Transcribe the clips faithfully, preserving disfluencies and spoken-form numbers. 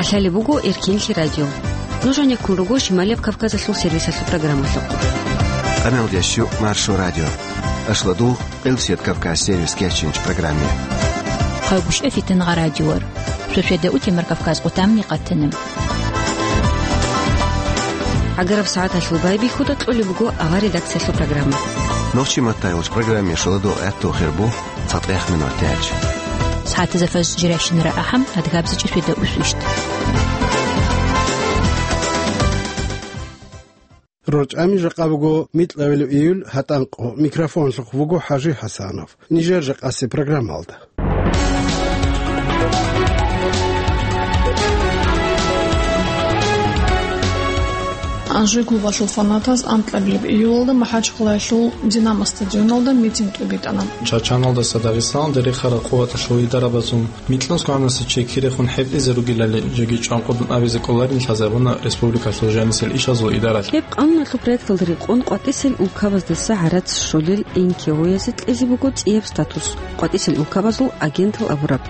КӀалъалеб буго Эркинлъи радио. Нуж гьанеккун руго Шималияб Кавказалъул сервисалъул программалъухъ. Къаналдящу Маршо радио. Ашладул Къилсият Кавказ сервис кечинч программе. Хъагушев Фитингъа радиор. Шошеда утемар Кавказ къутамни къатана. ГӀагараб сагӀаталъул байбихьуда кьолеб буго авар редакциялъул программа. Нохчи матайулч программе шоладо гӀатту хирбу. ЦатӀех минут тяч. СагӀатазда фажр жиращинара ахӀам, адгабзичӀи шведа усвищт. РорчӀами жакъа буго микьабилеб июль гьатӀанкъо. Микрофонлъухъ вуго ХӀажи ХӀасанов. Нижер жакъасе программалда. Анжи клубалъул фанатаз анкьабилеб июлалда МахӀачхъалаялъул Динамо стадионалда митинг тӀубитӀана. Чачаналдаса Дагъистаналде рехарал къуваталъул идарабазул микьнусгоанасе чи кирехун хӀетӀизе ругелали жеги чӀванкъудун абизе кӀоларин лъазабуна республикалъул жанисел ишазул идаралъ. Гьеб къануналъул проекталда рекъон къватӀисел улкабаздаса гӀарац щолел НКО-язе кьезе буго цӀияб статус, къватӀисел улкабазул агентал абураб.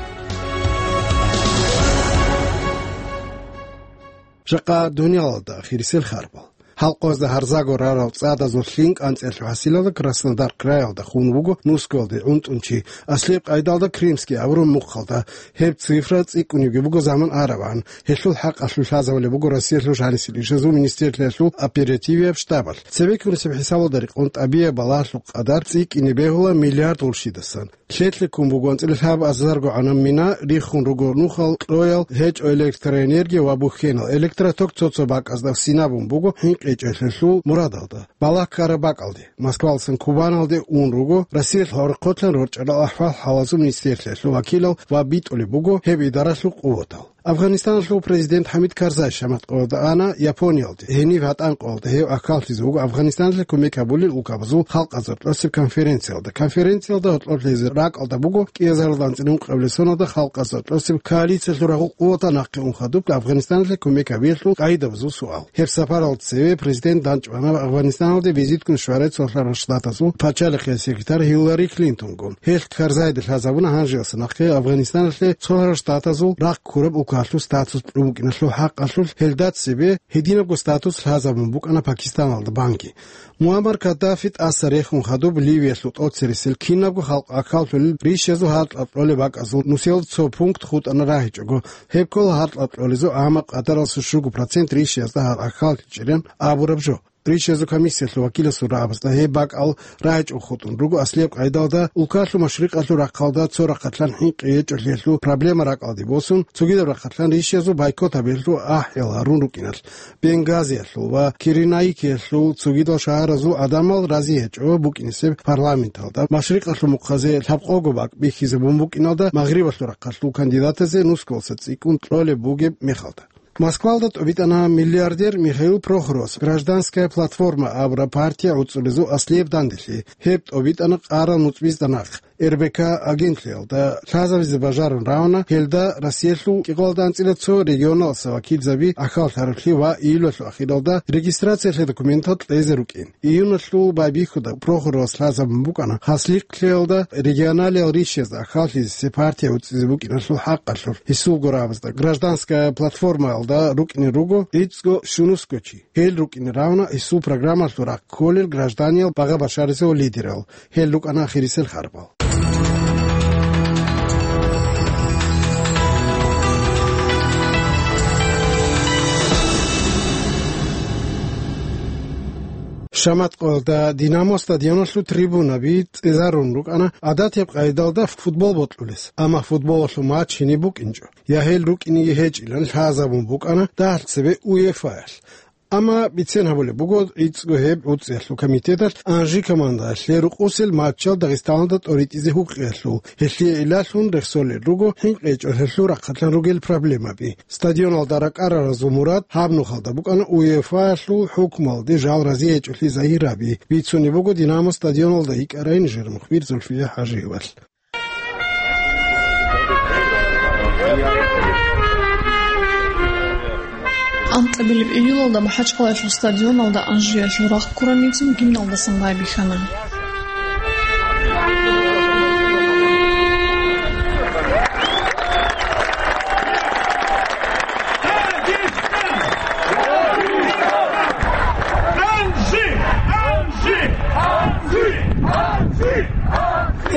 Жакъа дуниялалда хирисел харбал. Халкъазда гьарзаго рарал цӀадазул лъим кӀанцӀиялъул хӀасилалда Краснодар краялда хун вуго нусгоялде гӀунтӀун чи, аслияб къайдалда Крымский абураб мухъалда. Гьеб цифра цӀикӀкӀунебги буго заман арабгӀан. Гьелъул хӀакъалъулъ лъазабулеб буго Россиялъул жанисел ишазул министрлъиялъул оперативияб штабалъ. Цебеккунесеб хӀисабалда рекъон тӀабияб балагьалъул къадар цӀикӀкӀине бегьула миллиард гъурщидасан. Лъелъиккун буго анцӀила лъабазарго гӀанам мина, риххун руго нухал кьоял, гьечӀо электроэнергия ва бухьенал. Электроток цо-цо бакӀазда синабун буго хӀинкъичӀелъулъул мурадалда, балагь ккараб бакӀалде. Москвалдасан Кубаналде ун руго Россиялъ гӀорхъолъан рорчӀарал ахӀвал-хӀалазул министрлъиялъул вакилал ва битӀулеб буго гьеб идаралъул къуватал. Афганистаналъул президент ХӀамид Карзай шамат къоялда ана Япониялде. Гьениб гьатӀан къоялда гьев ахьаллъизе вуго Афганистаналъе кумек гьабулел улкабазул халкъазул тӀосеб конференциялда. Конференциялда гьоркьоблъизе ракӀалда буго кӀиазарилан цӀинун къавлесоналда халкъазул тӀосеб коалициялъул рагъул къуватал нахъе ун хадуб Афганистаналъе кумек гьабиялъул къайдабазул суал. Гьеб сапаралда цеве президент данчӀвана Афганистаналде визитккун щварай Цолъарал Штатазул пачалихъе секретарь Хиллари Клинтонгун. Гьелъ Карзайда лъазабуна гьанжеялъа нахъе Афганистаналъе Цолъарал Штатазул рахъ ккураб улкалъул статус кьун букӀиналъул хӀакъалъулъ. Гьелда цебе гьединабго статус лъазабун букӀана Пакистаналда банги. Муаммар Каддафи тӀаса рехун хадуб Ливиялъул тӀоцересел кинабго халкъ ахьаллъулел ришазул гьаркьа кьолеб бакӀазул нусел цо пункт хутӀана рагьичӀого. Гьеб ккола гьаркьа кьолезул, амма къадаралъул щуго процент ришазда гьар ахьаллъичӀилан абураб жо. Ришазул комиссиялъул вакиласул рагӀабазда гьеб бакӀал рагьичӀого хутӀун руго аслияб къайдалда улкалъул машрикъалъул рахъалда цо рахъалъан хӀинкъи гьечӀолъиялъул проблема ракӀалде босун, цогидаб рахъалъан ришазул байкот гьабиялъул ахӀиял гьарун рукӀиналъ. Бенгазиялъул ва Киренаикиялъул цогидал шагьаразул гӀадамал рази гьечӀо букӀинесеб парламенталда машрикъалъул мухъазе лъабкъого бакӀ бихьизабун букӀиналда магърибалъул рахъалъул кандидатазе нусгоялъа цӀикӀкӀун кьолеб бугеб мехалда. Москвалда тӀубитӀана миллиардер Михаил Прохоровас «Гражданская платформа» абураб партия гӀуцӀулезул аслияб данделъи. Гьеб тӀубитӀана къарал нуцӀбизда нахъ. РБК агентлъиялда лъазабизе бажарун равна, гьелда Россиялъул кӀикъоялда анцӀила цо регионалдаса вакилзаби ахьаллъаралъи ва июлалъул ахиралда регистрациялъе документал кьезе рукӀин. Июналъул байбихьуда Прохоровас лъазабун букӀана Хаслихълъиялда регионалиял ришазда ахьаллъизе партия гӀуцӀизе букӀиналъул хӀакъалъулъ. Гьесул гурабазда «Гражданская платформаялда» рукӀине руго гӀицӀго щунусго чи. Гьел рукӀине равна гьесул программалъул рахъ кколел гражданиял багъа башаризул лидерал. Гьел рукӀана хирисел харбал. Шаматкъоялда «Динамо» стадионалъул трибунаби цӀезарун рукӀана, гӀадатияб къайдалда футбол бокьулес, амма футболалъул матч гьениб букӀинчӀо, я гьел рукӀинеги гьечӀилан лъазабун букӀана дагьалъ цебе УЕФА-ялъ. Амма бицен гьабулеб буго, гӀицӀго гьеб гӀуцӀиялъул комитеталъ Анжи командаялъе рукъусел матчал Дагъистаналда тӀоритӀизе гьукъиялъул. Гьелъие гӀиллалъун рехсолел руго хӀинкъичӀолъиялъул рахъалъан ругел проблемаби. Стадионалда ракӀараразул мурад гьаб нухалда букӀана УЕФА-ялъул хӀукмуялде жал рази гьечӀолъи загьир гьаби. Бицунеб буго «Динамо» стадионалда йикӀарай нижер мухбир Зульфия ХӀажиевалъ. Анкьабилеб июлалда МахӀачхъалаялъул стадионалда Анжиялъул рахъ ккураб митинг гимналдасан байбихьана.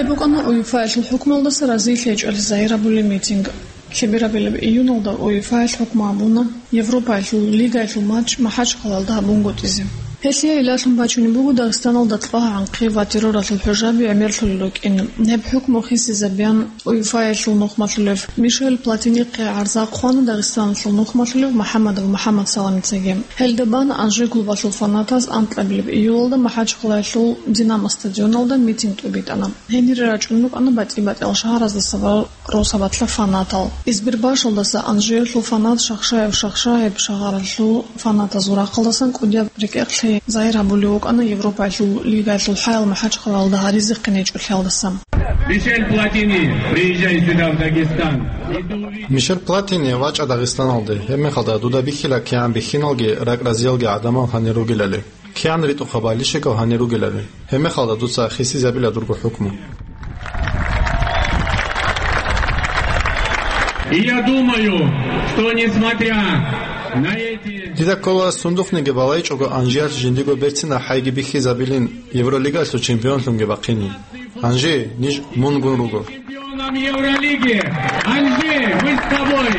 БукӀана УЕФА-ялъул хӀукмуялдаса разилъи гьечӀолъи загьир гьабулеб митинг. Лъеберабилеб июналда УЕФА-ял хӀукму гьабуна Европаялъул лигаялъул матч МахӀачхъалаялда гьабунгутӀизе. Гьелъие гӀиллалъун бачунеб буго Дагъистаналда тӀлагьгӀанхъи ва терроралъул хӀужаби гӀемерлъулел рукӀин. Гьеб хӀукму хисизабеян УЕФА-ялъул нухмалъулев Мишель Платинихъе гӀарза хъвана Дагъистаналъул нухмалъулев МухӀаммадов МухӀаммад Саламицаги. Гьелда бан Анжи клубалъул фанатаз анкьабилеб июлалда МахӀачхъалаялъул Динамо стадионалда митинг тӀубитӀана. Гьенире рачӀун рукӀана батӀи-батӀиял шагьараздаса ва росабалъа фанатал. Избербашалдаса Анжиялъул фанат Шахшаев Шахшаев, шагьаралъул фанатазул рахъалдасан кӀудияб рекӀекълъи загьир гьабулев вукӀана Европаялъул лигаялъул хӀаял МахӀачхъалаялда гьаризе хъинечӀолъиялдаса. Мишель Платини, приезжай сюда, в Дагестан. И ты увидишь. Мишель Платини, вачӀа Дагъистаналде, гьебмехалда дуда бихьила кигӀан бихьиналги ракӀ-разиялги гӀадамал гьанир ругелали. КигӀан ритӀухъаб балищикав гьанир ругелали. Гьебмехалда дуца хисизабила дурго хӀукму. И я думаю, что несмотря на эти... Дида ккола, сундухъниги балайчӀого Анжиялъ жиндиго берцинаб хӀайги бихьизабилин Евролигалъул чемпионлъунги бахъинин. Анжи, ниж мунгун руго. Чемпионом Евролиги! Анжи, мы с тобой!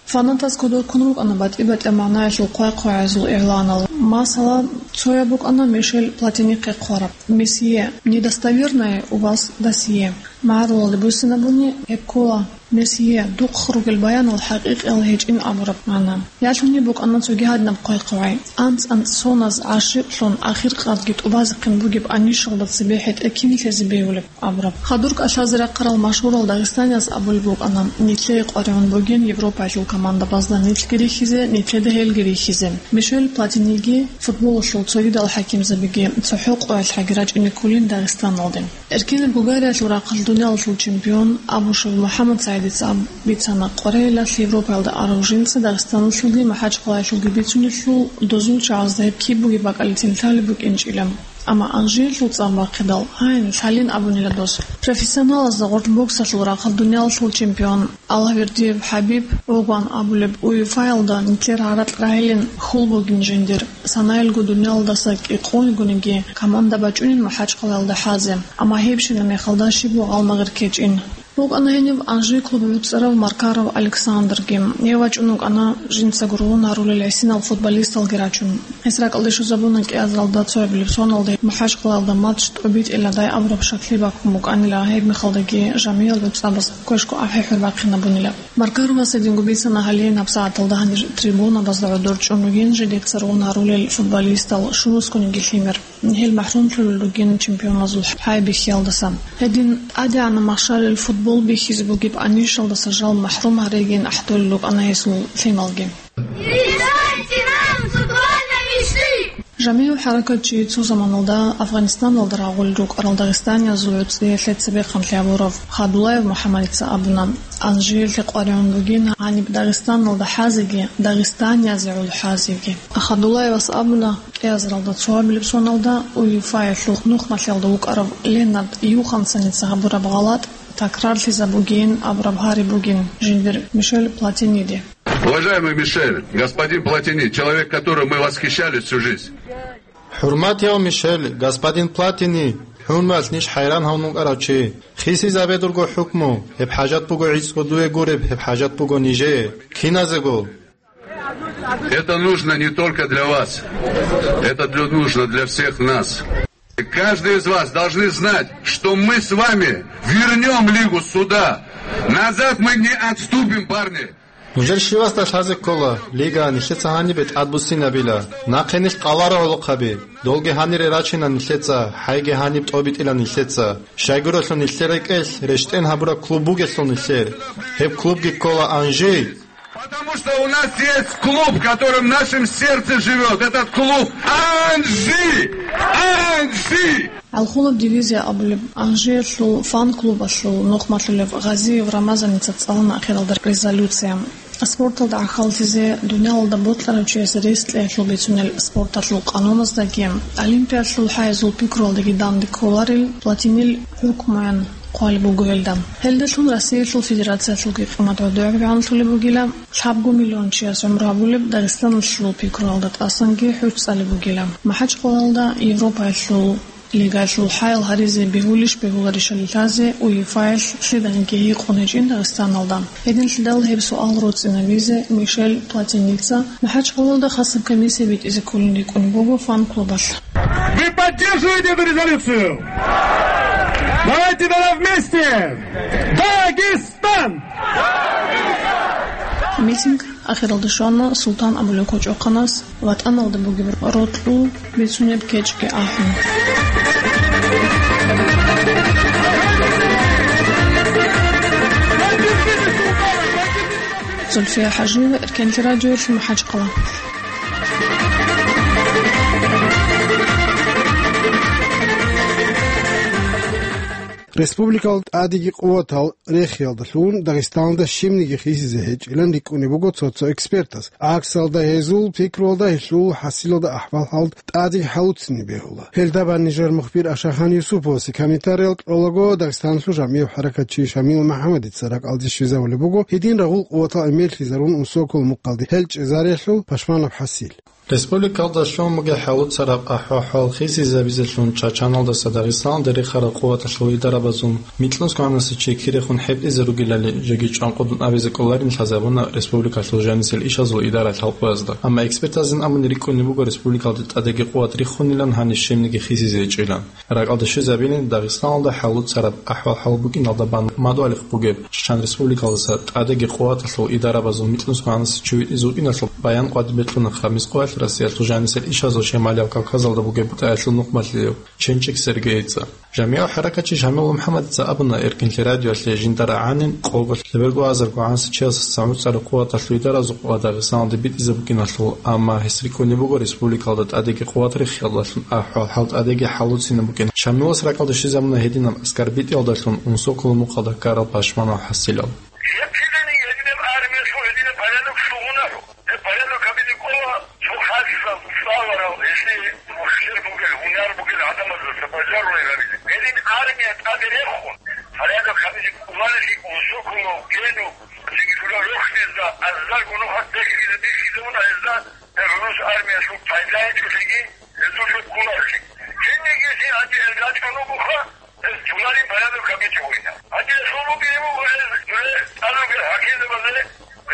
Фанатаз кодоб ккун рукӀана батӀи-батӀияб магӀнаялъул хъвай-хъвагӀазул игъланал. Масала, цояб букӀана Мишель Платинихъе хъвараб: «Месье, недостоверное у вас досье». МагӀарулалде буссинабуни гьеб ккола: «Месье, духъ ругел баянал хӀакъикъиял гьечӀин», абураб магӀна. Ялъуни букӀана цоги гьадинаб хъвай-хъвагӀи: «АнцӀ-анцӀ соназ гӀашикълъун, ахиркъадги тӀубазехъин бугеб анищалда цебе хӀетӀе кин лъезе бегьулеб?» абураб. Хадур кӀалъазе рахъарал машгьурал дагъистанияз абулеб букӀана, нилъее къваригӀун бугин Европаялъул командабазда нилъги рихьизе, нилъеда гьелги рихьизе. Мишель Платиниги, футболалъул цогидал хӀакимзабиги цохӀо къоялъ гьаги рачӀине кколин Дагъистаналде. Эркенаб Бугариялъул рахъалъ дуниялалъул чемпион Абушев МухӀаммад СагӀидица аб-, бицана, къваригӀелалъ Европаялда арав жинца Дагъистаналъулги МахӀачхъалаялъулги бицунелъул дозул чагӀазда гьеб киб бугеб бакӀалицин лъалеб букӀинчӀила. Амма Анжиялъул цӀар бахъидал, гьайин, лъалин абунила дос. Профессионалазда гъоркь боксалъул рахъалъ дуниялалъул чемпион Аллагьвердиев ХӀабиб гӀугъан абулеб УЕФА-ялда нилъер гьаракь рагӀилин хьул бугин жиндир, санаялго дуниялалдаса кӀикъоялгониги команда бачӀунин МахӀачхъалаялда хӀазе, амма гьебщинаб мехалда щибго гъалмагъир ккечӀин. БукӀана гьениб Анжи клуб гӀуцӀарав Маркаров Александрги. Гьев вачӀун вукӀана жинцаго ругьун гьарулел гӀисинал футболисталги рачун. Гьес ракӀалде щвезабуна кӀиазаралда цоябилеб соналда МахӀачхъалаялда матч тӀобитӀиладай абураб щаклъи бахъун букӀанила, гьеб мехалдаги жамигӀал гӀуцӀабаз квешго ахӀи-хӀур бахъинабунила. Маркаровас гьединго бицана гьале набсагӀаталда гьанир трибунабазда гӀодор чӀун ругин жидеца ругьун гьарулел футболистал щурусгониги лъимер. Гьел махӀрумлъулел ругин чемпионазул хӀай бихьиялдаса. Гьедин тӀадегӀанаб махщарил футбол бихьизе бугеб анищалдаса жал махӀрум гьаригин ахӀдолел рукӀана гьесул лъималги. Решайте нам футбольной мечты! ЖамигӀ хӀаракатчи цо заманалда Афганистаналда рагъулел рукӀарал дагъистаниязул гӀуцӀиялъе цебехъанлъи гьабурав Хадулаев МухӀаммадица абуна, Анжиялъе къваригӀун бугин гьаниб Дагъистаналда хӀазеги, дагъистаниязе гӀоло хӀазеги. Хадулаевас абуна, кӀиазаралда цоабилеб соналда УЕФА-ялъул нухмалъиялда вукӀарав Ленард Йоханссеница гьабураб гъалатӀ такрарлъизабугейин абураб гьари бугин жиндир Мишель Платиниде. Уважаемый Мишель, господин Платини, человек, которым мы восхищались всю жизнь. ХӀурматияв Мишель, господин Платини, хӀурмаялъ ниж хӀайран гьавун вукӀарав чи. Хисизабе дурго хӀукму, гьеб хӀажат буго гӀицӀго дуе гуреб, гьеб хӀажат буго нижее, киназего. Это нужно не только для вас. Это для, нужно для всех нас. Каждый из вас должны знать, что мы с вами вернём лигу сюда. Назад мы не отступим, парни. Нужер щивасда лъазе ккола, лига нилъеца гьанибе тӀадбуссинабила. Нахъе нилъ къваларо гӀолохъаби. Долги гьанире рачина нилъеца, хӀайги гьаниб тӀобитӀила нилъеца. Щайгурелъул нилъер рекӀелъ рещтӀен гьабураб клуб бугелъул нилъер. Гьеб клубги ккола Анжи. Потому что у нас есть клуб, в котором в нашем сердце живёт. Этот клуб Анжи! Анжи! ГӀалхулаб дивизия абулеб Анжиялъул фан-клубалъул нухмалъулев Гъазиев Рамазаница цӀалуна ахиралда резолюция. Спорталда гӀахьаллъизе дуниялалда бокьарав чиясе рес кьеялъул бицунел спорталъул къануназдаги, Олимпиялъул хӀайзул пикруялдаги данде кколарел Платинил хӀукмуян хъвалеб буго гьелда. Гьелдалъун Россиялъул Федерациялъулги къимат гӀодобегӀанлъулеб бугила, лъабго миллион чияс гӀумру гьабулеб Дагъистаналъул пикруялда тӀасанги хӀуч цӀалеб бугила. МахӀачхъалаялда Европаялъул Лигалъул хӀаял гьаризе бегьулищ бегьуларищали лъазе УЕФА-ялъ лъиданиги гьикъун гьечӀин Дагъистаналда. Гьединлъидал гьеб суал роцӀцӀинабизе Мишель Платиница МахӀачкъалалда хасаб комиссия битӀизе кколин рикӀкӀунеб буго фан-клубалъ. Вы поддерживаете эту резолюцию? Давайте тогда вместе! Дагестан! Митинг ахиралде щвана Султан абулеб кочӀохъанас ВатӀаналда бугеб рокьул бицунеб кечӀги ахӀун. Зульфия ХӀажиева, Эркенлъи радиоялъ, МахӀачкъала. Республикалда тӀадеги къуватал рехиялдалъун Дагъистаналда щибниги хисизе гьечӀилан рикӀкӀунеб буго цо-цо экспертас. ГӀаксалда, гьезул пикруялда гьелъул хӀасилалда ахӀвал-хӀал тӀадеги хӀалуцин бегьула. Гьелда бан нижер мухбир Ашахан Юсуповасе комментариял кьолаго, Дагъистаналъул жамигӀ хӀаракатчи Шамил МухӀаммадица ракӀалде щвезавулеб буго гьедин рагъул къуватал гӀемерлъизарун унсокол мухъалде гьел чӀезариялъул пашманаб хӀасил. Республикалда щун бугеб хӀалуцараб ахӀвал-хӀал хисизабизелъун Чачаналдаса Дагъистаналде рехарал къуваталъул идарабазул микьнусгоанасда чи кирехун хӀетӀизе ругелали жеги чӀванкъудун абизе кӀоларин лъазабуна республикалъул жанисел ишазул идаралъ халкъазда. Амма экспертазин абуни рикӀкӀунеб буго республикалде тӀадеги къуват риххунилан гьаниб щибниги хисизе гьечӀилан. РакӀалде щвезабилин Дагъистаналда хӀалуцараб ахӀвал-хӀал букӀиналда бан мадугьалихъ бугеб Чачан Республикалдаса тӀадеги къуваталъул идарабазул микьнусгоанасда чи витӀизе вукӀиналъул баян къватӀибе кьуна Хамис къоялъ Россиялъул жанисел ишазул Шималияб Кавказалда бугеб БутӀаялъул нухмалъиялъ Ченчик Сергейица. ЖамигӀ хӀаракатчи Шамил МухӀаммадица абуна Эркенлъи радиоялъе жинда рагӀанин къого лъеберго азарго гӀанасеб чиясдасан гӀуцӀараб къуваталъул идаразухъ ва Дагъистаналде битӀизе букӀиналъул, амма гьес рикӀкӀунеб буго республикалда тӀадеги къуват рехиялдалъун ахӀвал-хӀал тӀадеги хӀалуцинаб букӀин. Шамилас ракӀалде щвезабуна гьединаб аскар битӀиялдалъун унсоколо мухъалда ккарал пашманал хӀасилал. Гьеб киданиги гьединаб армиялъул гьединаб порядок лъугьунару? Гьеб порядок гьабизе кӀола цо хасал, цӀаларал, гьелъие мухӀсир бугел, гьунар бугел гӀадамаздаса бажарулел гьабизе. Гьедин армия тӀаде рехун, порядок гьабизе кӀоларелъи унсоколо гьенив, цинги шура рохьизда азарго нухалъ дехьизе бихьизабуна гьезда, гьеб гӀурус армиялъул пайда гьечӀолъиги, гьезулъул кколарелъи. Кинниги гьанже гьел рачӀун ругоха, гьез туларин порядок гьабичӀо гьуина. Гьанже гьелъул букӀине буго гьез дуре тӀад ругел хӀакимзабазе,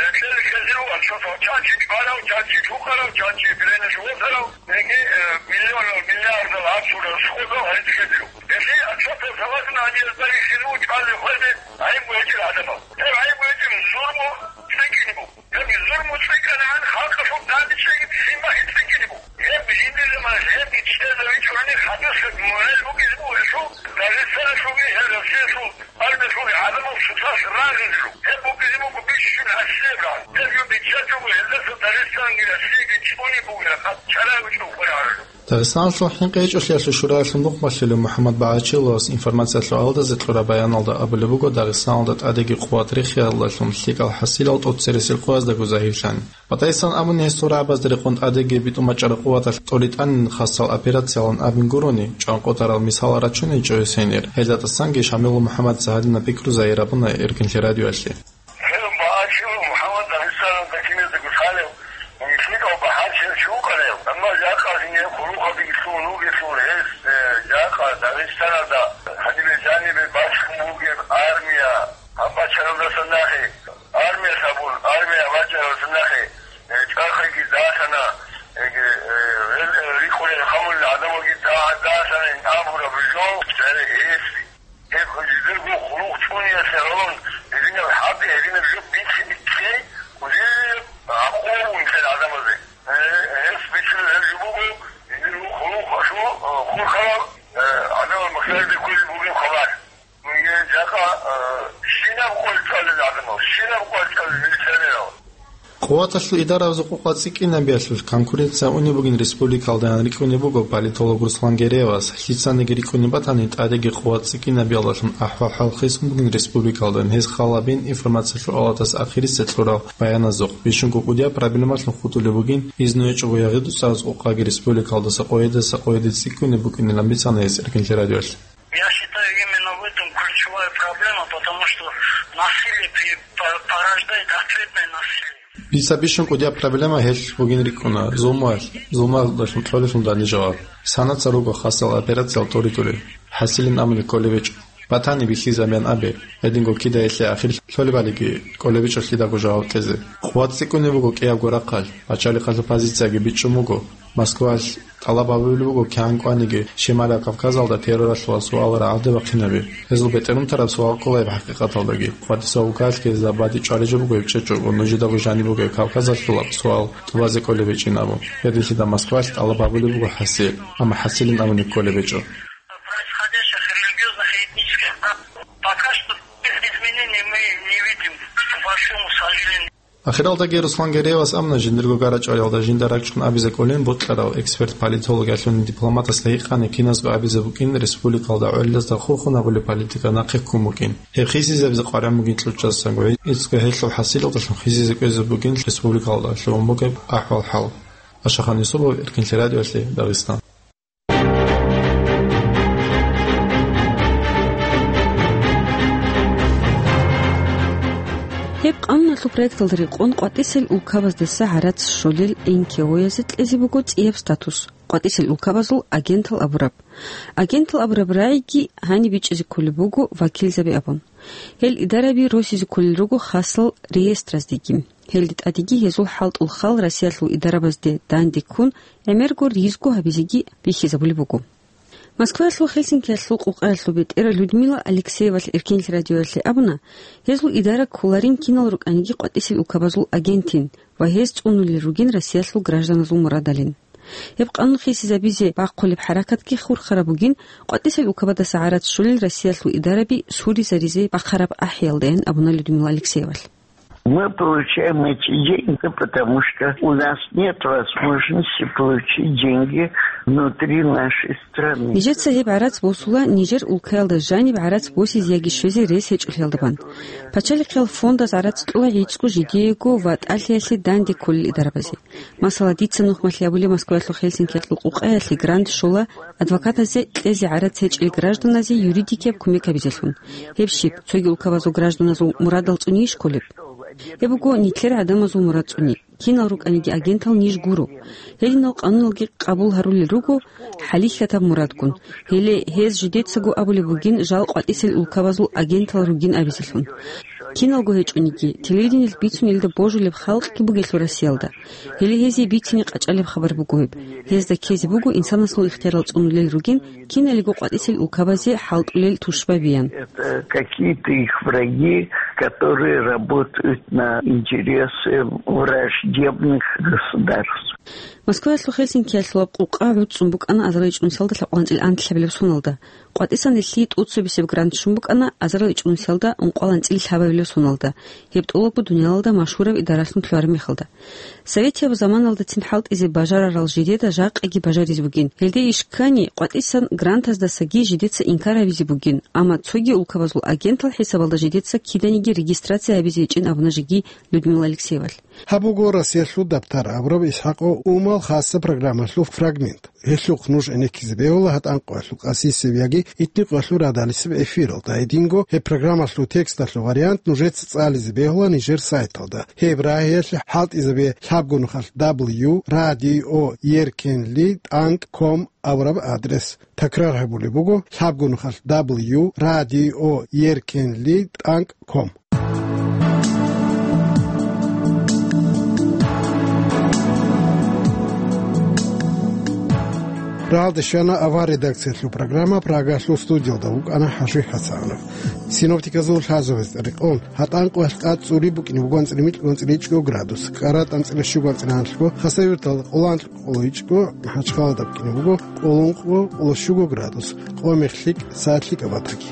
э, кьел хьезе ругел чанчи барав, чанчи лъукъарав, чанчи биренеш восарав, яги, э, миллионал, миллиардал гьабсурал сходал гьез хьезе руго. Гьелъие чанчи согласна гьанже гьезда рихьизе руго чӀвазе хвезе гӀайиб гьечӀел гӀадамал. Гьеб гӀайиб гьечӀел зурму цӀикӀкӀине буго. Гьеб зурму цӀикӀкӀанагӀан халкъалъул дандечӀеги бихьинбахӀи цӀикӀкӀине буго. Гьеб жиндир заманаялъ гьеб чӀезавичӀони хадусеб мораль букӀине буго гьелъул, Дагъистаналъулги гьел Россиялъул армиялъулги гӀадамал сусалъ рагъизе руго. Гьеб букӀине буго бищун гӀасияб рагъ. Гьеб жо биччачӀого гьелдаса Дагъистанги Россияги чӀунеб бугеб чара гьечӀо хварагӀараб. Дагъистаналъул хӀинкъи гьечӀолъиялъул шураялъул нухмалъулев МухӀаммад БагӀачиловас информациялъул аялдазе кьураб баяналда абулеб буго, Дагъистаналда тӀадеги къуват рехиялдалъун лъикӀал хӀасилал тӀоцересел къояздаго загьирлъани. БатӀайсан абуни гьес сурабазда рекъон тӀадеги битӀун бачӀараб къуваталъ тӀоритӀанин хасал операциялан абин гурони, чӀванкъотарал мисалал рачунейчӀо гьесенир. Гьелда тӀасанги Шамилул МухӀаммадица гьадинаб пикру загьир абуна Эркенлъи радиоялъе. Гьев багьачилав МухӀаммад Дагъистаналда киназдаго лъалев, лъикӀав багьачияв чи вукӀарав, амма жакъа гьенив хъулухъалдеги лъугьун вугелъул гьес, э, жакъа Дагъистаналда гьанибе жанибе бачун бугеб армия гьаб бачаралдаса нахъе, армиялъ абун, армия бачаралдаса нахъе, э, чӀахъиги далъана, э, э, гьел, э, рикъулел хъамулел гӀадамалги да-, далъана ин абураб жо, гьес Гьеб жидерго хъулухъ чӀунеялъе гӀоло, гьединаб хӀалтӀи, гьединаб жо бихьи-, бихьей, гьудияб гӀакъуба бугин гӀадамазе. Э, гьес бицунеб гьеб жо буго, жидерго хъулухъалъул, э, хурхарал, э, гӀадамал махсариде кколеб бугеб хабар. Жакъа, э, щинаб къо чӀвалел гӀадамал, щинаб къо чӀвалел милиционерал. Къуваталъул идаразул къокъа цӀикӀкӀинабиялъул конкуренция унеб бугин республикалдайин рикӀкӀунеб буго политолог Руслан Гереевас, лъицаниги рикӀкӀунеб батани, тӀадеги къуват цӀикӀкӀинабиялдалъун ахӀвал-хӀал хисун бугин республикалдайин гьез халабин информациялъул аялдас ахирисеб кьурал баяназухъ. Бищунго кӀудияб проблемалъун хутӀулеб бугин, изну гьечӀого ягъи-дуцӀараз къокъаги республикалдаса къоядаса къояде цӀикӀкӀунеб букӀинилан бицана гьес Эркенлъи радиоялъе. Я считаю, именно в этом ключевая проблема, потому что насилие при-, по-, порождает ответное насилие. Дица бищун кӀудияб проблема гьелъ бугин рикӀкӀуна: зулмуялъ, зулмуялдалъун кьолелъул данде жаваб. Санаца руго хасал операциял тӀуритӀули, хӀасилин абуни кколеб гьечӀо. Батани бихьизабиян абе, гьединго кидаялъе ахир лъолебалиги кӀолеб гьечӀо лъидаго жаваб кьезе. Къуват цӀикӀкӀунеб буго кӀиябго рахъалъ, пачалихъалъул позицияги бичӀчӀун буго. Москваялъ тӀалаб гьабулеб буго кигӀан кӀваниги Шималияб Кавказалда терроралъула суал рагӀалде бахъинаби. Гьезул бетӀерун тараб суал ккола гьеб хӀакъикъаталдаги. Къватиса вукаллъги забади чӀвалижо буго гьеб чӀечӀого, нужедаго жаниб бугеб Кавказалъула суал тӀубазе кӀолеб гьечӀин абун. Гьединлъидал Москваялъ тӀалаб гьабулеб буго хӀасил, амма хӀасилин абуни кколеб гьечӀо. Происходящих религиозных и этнических прав пока что изменений мы не видим, к большому сожалению. Ахиралдаги Руслан Гереевас абуна, жиндирго гарачӀвариялда жинда ракӀчӀун абизе кӀолин бокьарав эксперт-политологиялъулин дипломатасда гьикъани, киназго абизе букӀин республикалда гӀолилазда хурхун гьабулеб политика нахъе ккун букӀин. Гьеб хисизабизе къваригӀун бугин кьучӀасанго, гьеб гьелъул хӀасилалдалъун хисизе кӀвезе бугин республикалда лъугьун бугеб ахӀвал-хӀал. Ашахан Юсупов, Эркинлъи радиоялъе, Дагъистан. Гьеб къануналъул проекталда рекъон къватӀисел улкабаздаса гӀарац щолел НКО-язе кьезе буго цӀияб статус. КъватӀисел улкабазул агентал абураб. Агентал абураб рагӀиги гьаниб бичӀчӀизе кколеб буго вакилзаби абун. Гьел идараби росизе кколел руго хасал реестраздеги. Гьелде тӀадеги гьезул хӀалтӀул хал Россиялъул идарабазде данде ккун, гӀемерго ризго гьабизеги бихьизабулеб буго. Москваялъул Хельсинкиялъул къукъаялъул бетӀер Людмила Алексеевалъ Эркинлъи радиоялъе абуна, гьезул идара кколарин кинал рукӀаниги къватӀисел улкабазул агентин ва гьез цӀунулел ругин Россиялъул гражданазул мурадалин. Гьеб къанун хисизабизе бахъулеб хӀаракатги хурхараб бугин, къватӀисел улкабадаса гӀарац щолел Россиялъул идараби суризаризе бахъараб ахӀиялдаян абуна Людмила Алексеевалъ. Мы получаем эти деньги, потому что у нас нет возможности получить деньги внутри нашей страны. Нижеца гьеб гӀарац босула нижер улкаялда жаниб гӀарац босизе яги щвезе рес гьечӀолъиялда бан. Пачалихъиял фондаз гӀарац кьола гӀицӀго жидеего ва тӀалъиялъе данде кколел идарабазе. Масала, дица нухмалъи абулеб Москваялъул Хельсинкиялъул къукъаялъе грант щола адвокатазе кьезе гӀарац гьечӀел гражданазе юридикияб кумек гьабизелъун. Гьеб щиб, цоги улкабазул гражданазул мурадал цӀунейищ кколеб? Гьеб буго нилъер гӀадамазул мурад цӀуни. Кинал рукӀаниги агентал ниж гуро. Гьединал къануналги къабул гьарулел руго хӀалихьатаб мурадгун. Гьеле гьез жидецаго абулеб бугин жал къватӀисел улкабазул агентал ругин абизелъун. Киналго гьечӀониги, телевидениялъ бицунелда божулеб халкъги бугелъул Россиялда. Гьеле гьезие бицине къачӀалеб хабар буго гьеб. Гьезда ккезе буго инсанасул ихтиярал цӀунулел ругин киналиго къватӀисел улкабазе хӀалтӀулел тушбабиян. Это какие-то их враги, которые работают на интересы враждебных государств. Москваялъул Хельсинкиялъулаб къукъа гӀуцӀцӀун букӀана азарилчӀунусиялда лъабкъоялда анцӀила анлъабилеб соналда. КъватӀисан нилъее тӀоцебесеб грант щун букӀана азарилчӀунусиялда ункъоялда анцӀила лъабабилеб соналда, гьеб тӀолабго дуниялалда машгьураб идаралъун лъугьараб мехалда. Советияб заманалдацин хӀалтӀизе бажарарал жидеда жакъаги бажаризе бугин. Гьелде иш ккани, къватӀисан грантаздасаги жидеца инкар гьабизе бугин, амма цоги улкабазул агентал хӀисабалда жидеца киданиги регистрация гьабизе гьечӀин абуна жеги Людмила Алексеевалъ. Гьаб буго Россиялъул Дабтар абураб ИсхӀакъ Умал хасаб программалъул фрагмент. Гьелъухъ нуж гӀенеккизе бегьула гьатӀан къоялъул къасисеб яги итни къоялъул радалисеб эфиралда, гьединго гьеб программалъул тексталъул вариант нужеца цӀализе бегьула нижер сайталда. Гьеб рагӀиялъе хӀалтӀизабе лъабго нухалъ дабл ю радио еркенли тӀанкӀ ком абураб адрес. Такрар гьабулеб буго: лъабго нухалъ дабл ю радио еркенли тӀанкӀ ком. Рагьалде щвана авар редакциялъул программа, Прагалъул студиялда вукӀана ХӀажи ХӀасанов. Синоптиказул лъазабаз рекъон, гьатӀан къоялъ тӀад цӀури букӀине буго анцӀила микьго анцӀила ичӀго градус, КӀаратӀа анцӀила щуго анцӀила гьанлъго, Хасавюрталда къоло анлъго къоло ичӀго, МахӀачхъалада букӀине буго къоло ункъго къоло щуго градус, къо-мех лъикӀ, сагӀат лъикӀаб батаги.